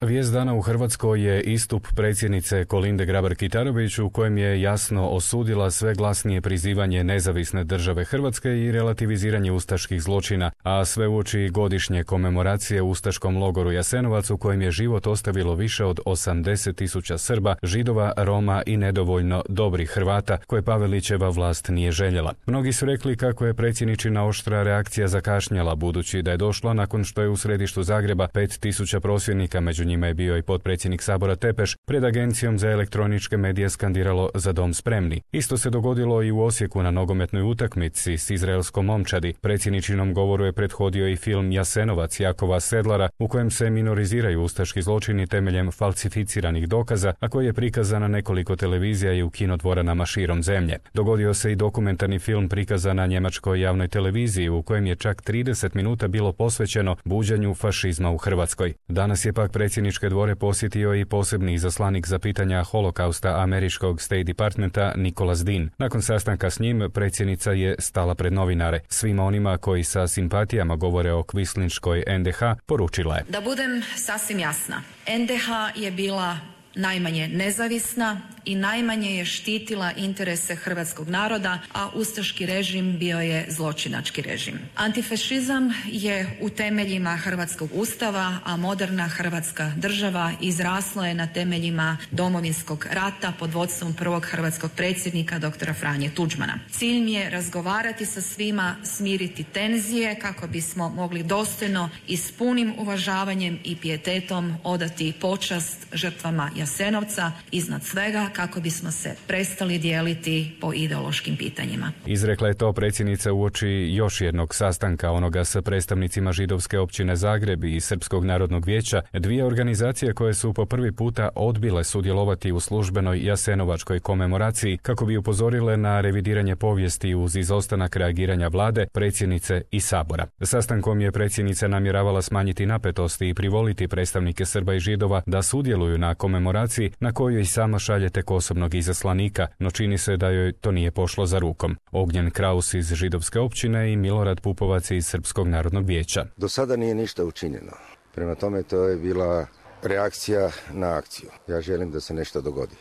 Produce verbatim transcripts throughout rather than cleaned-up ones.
Vijest dana u Hrvatskoj je istup predsjednice Kolinde Grabar-Kitarović u kojem je jasno osudila sve glasnije prizivanje nezavisne države Hrvatske i relativiziranje ustaških zločina, a sve uoči godišnje komemoracije u ustaškom logoru Jasenovac u kojem je život ostavilo više od osamdeset tisuća Srba, Židova, Roma i nedovoljno dobrih Hrvata koje Pavelićeva vlast nije željela. Mnogi su rekli kako je predsjedničina oštra reakcija zakašnjela budući da je došla nakon što je u središtu Zagreba pet tisuća prosvjednika, među njima je bio i potpredsjednik Sabora Tepeš, pred Agencijom za elektroničke medije skandiralo "Za dom spremni". Isto se dogodilo i u Osijeku na nogometnoj utakmici s izraelskom momčadi. Predsjedničinom govoru je prethodio i film Jasenovac Jakova Sedlara u kojem se minoriziraju ustaški zločini temeljem falsificiranih dokaza, a koji je prikazan na nekoliko televizija i u kinodvoranama širom zemlje. Dogodio se i dokumentarni film prikazan na njemačkoj javnoj televiziji u kojem je čak trideset minuta bilo posvećeno buđenju fašizma u Hrvatskoj. Danas je pak predsjedničke dvore posjetio i posebni izaslanik za pitanja holokausta američkog State Departmenta Nicholas Dean. Nakon sastanka s njim, predsjednica je stala pred novinare. Svima onima koji sa simpatijama govore o kvislinškoj en de ha poručila je: Da budem sasvim jasna, en de ha je bila najmanje nezavisna i najmanje je štitila interese hrvatskog naroda, a ustaški režim bio je zločinački režim. Antifašizam je u temeljima hrvatskog ustava, a moderna hrvatska država izrasla je na temeljima Domovinskog rata pod vodstvom prvog hrvatskog predsjednika doktora Franje Tuđmana. Cilj mi je razgovarati sa svima, smiriti tenzije kako bismo mogli dostojno i s punim uvažavanjem i pijetetom odati počast žrtvama Jasenovca, iznad svega kako bismo se prestali dijeliti po ideološkim pitanjima. Izrekla je to predsjednica uoči još jednog sastanka, onoga sa predstavnicima židovske općine Zagreb i Srpskog narodnog vijeća, dvije organizacije koje su po prvi puta odbile sudjelovati u službenoj jasenovačkoj komemoraciji kako bi upozorile na revidiranje povijesti uz izostanak reagiranja vlade, predsjednice i Sabora. Sastankom je predsjednica namjeravala smanjiti napetosti i privoliti predstavnike Srba i Židova da sudjeluju na komemoraciji na kojoj i sama šalje tek osobnog izaslanika, no čini se da joj to nije pošlo za rukom. Ognjen Kraus iz židovske općine i Milorad Pupovac iz Srpskog narodnog vijeća. Do sada nije ništa učinjeno. Prema tome to je bila reakcija na akciju. Ja želim da se nešto dogodi.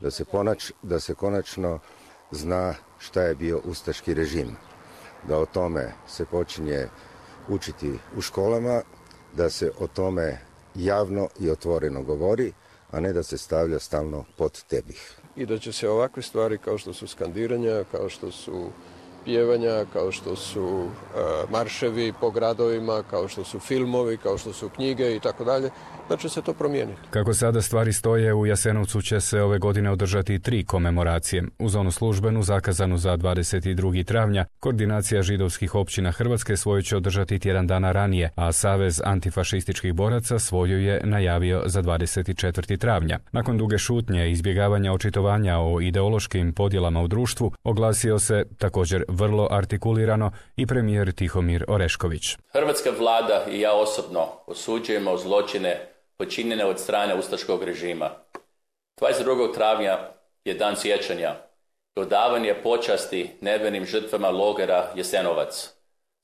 Da se, ponač, da se konačno zna šta je bio ustaški režim. Da o tome se počinje učiti u školama, da se o tome javno i otvoreno govori, a ne da se stavlja stalno pod tepih. I da će se ovakve stvari kao što su skandiranja, kao što su pjevanja, kao što su uh, marševi po gradovima, kao što su filmovi, kao što su knjige i tako dalje, da će se to promijeniti. Kako sada stvari stoje, u Jasenovcu će se ove godine održati tri komemoracije. Uz onu službenu zakazanu za dvadeset drugog travnja, koordinacija židovskih općina Hrvatske svoju će održati tjedan dana ranije, a Savez antifašističkih boraca svoju je najavio za dvadeset četvrtog travnja. Nakon duge šutnje i izbjegavanja očitovanja o ideološkim podjelama u društvu, oglasio se također vrlo artikulirano i premijer Tihomir Orešković. Hrvatska vlada i ja osobno osuđujemo zločine počinjene od strane ustaškog režima. dvadeset drugog travnja je dan sjećanja i odavanje počasti nevinim žrtvama logora Jasenovac,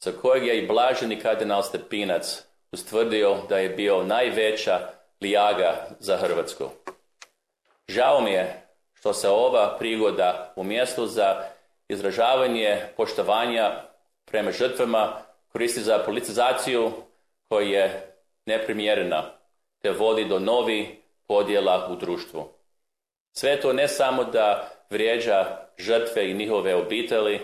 za kojeg je i blaženi kardinal Stepinac ustvrdio da je bio najveća lijaga za Hrvatsku. Žao mi je što se ova prigoda u mjestu za izražavanje poštovanja prema žrtvama koristi za politizaciju koja je neprimjerena te vodi do novih podjela u društvu. Sve to ne samo da vrijeđa žrtve i njihove obitelji,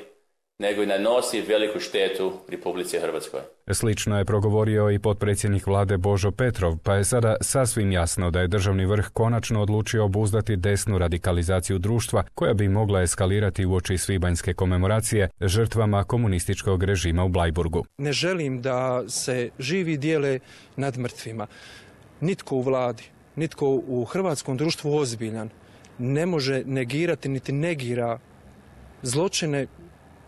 nego i nanosi veliku štetu Republici Hrvatskoj. Slično je progovorio i potpredsjednik vlade Božo Petrov, pa je sada sasvim jasno da je državni vrh konačno odlučio obuzdati desnu radikalizaciju društva koja bi mogla eskalirati uoči svibanjske komemoracije žrtvama komunističkog režima u Blajburgu. Ne želim da se živi dijele nad mrtvima. Nitko u vladi, nitko u hrvatskom društvu ozbiljan ne može negirati niti negira zločine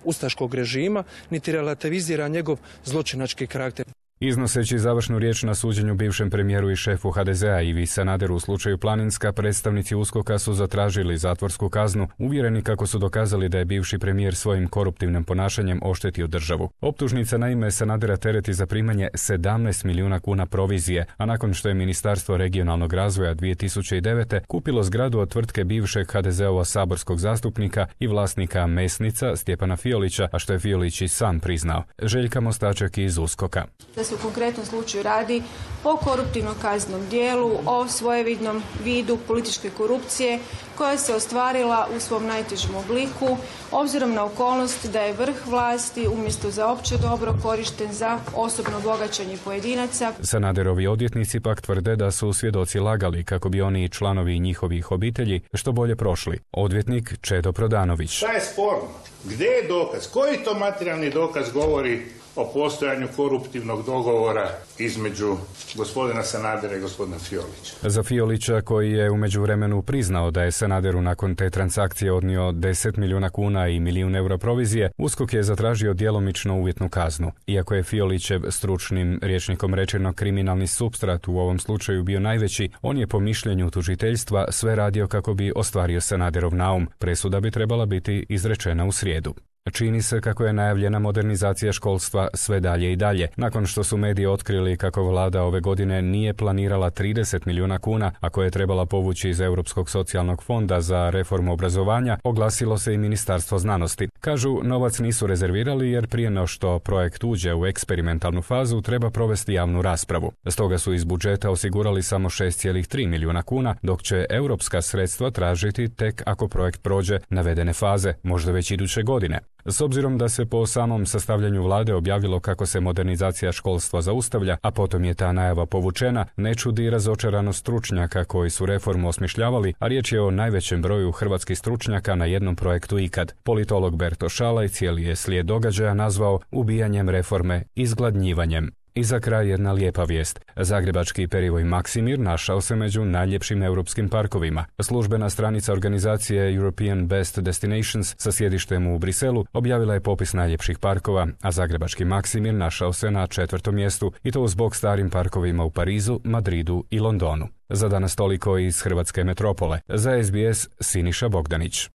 ustaškog režima, niti relativizira njegov zločinački karakter. Iznoseći završnu riječ na suđenju bivšem premijeru i šefu ha de zea Ivi Sanaderu u slučaju Planinska, predstavnici uskoka su zatražili zatvorsku kaznu, uvjereni kako su dokazali da je bivši premijer svojim koruptivnim ponašanjem oštetio državu. Optužnica na ime Sanadera tereti za primanje sedamnaest milijuna kuna provizije, a nakon što je Ministarstvo regionalnog razvoja dvije tisuće devete kupilo zgradu od tvrtke bivšeg ha de zeova saborskog zastupnika i vlasnika mesnica Stjepana Fiolića, a što je Fiolić i sam priznao. Željka Mostaček iz uskoka. Da se u konkretnom slučaju radi o koruptivnom kaznenom dijelu, o svojevidnom vidu političke korupcije koja se ostvarila u svom najtežem obliku, obzirom na okolnost da je vrh vlasti umjesto za opće dobro korišten za osobno bogaćenje pojedinaca. Sanaderovi odvjetnici pak tvrde da su svjedoci lagali kako bi oni i članovi njihovih obitelji što bolje prošli. Odvjetnik Čedo Prodanović. Šta je sporno? Gdje je dokaz? Koji to materijalni dokaz govori o postojanju koruptivnog dogovora između gospodina Sanadera i gospodina Fiolića? Za Fiolića, koji je u međuvremenu priznao da je Sanaderu nakon te transakcije odnio deset milijuna kuna i milijun eura provizije, USKOK je zatražio djelomično uvjetnu kaznu. Iako je Fiolićev stručnim rječnikom rečeno kriminalni supstrat u ovom slučaju bio najveći, on je po mišljenju tužiteljstva sve radio kako bi ostvario Sanaderov naum. Presuda bi trebala biti izrečena u srijedu. Čini se kako je najavljena modernizacija školstva sve dalje i dalje. Nakon što su mediji otkrili kako vlada ove godine nije planirala trideset milijuna kuna, a koje je trebala povući iz Europskog socijalnog fonda za reformu obrazovanja, oglasilo se i Ministarstvo znanosti. Kažu, novac nisu rezervirali jer prije no što projekt uđe u eksperimentalnu fazu treba provesti javnu raspravu. Stoga su iz budžeta osigurali samo šest zarez tri milijuna kuna, dok će europska sredstva tražiti tek ako projekt prođe navedene faze, možda već iduće godine. S obzirom da se po samom sastavljanju vlade objavilo kako se modernizacija školstva zaustavlja, a potom je ta najava povučena, ne čudi razočaranost stručnjaka koji su reformu osmišljavali, a riječ je o najvećem broju hrvatskih stručnjaka na jednom projektu ikad. Politolog Berto Šalaj cijeli je slijed događaja nazvao ubijanjem reforme, izgladnjivanjem. I za kraj jedna lijepa vijest. Zagrebački perivoj Maksimir našao se među najljepšim europskim parkovima. Službena stranica organizacije European Best Destinations sa sjedištem u Briselu objavila je popis najljepših parkova, a zagrebački Maksimir našao se na četvrtom mjestu i to zbog starim parkovima u Parizu, Madridu i Londonu. Za danas toliko iz hrvatske metropole. Za es be es Siniša Bogdanić.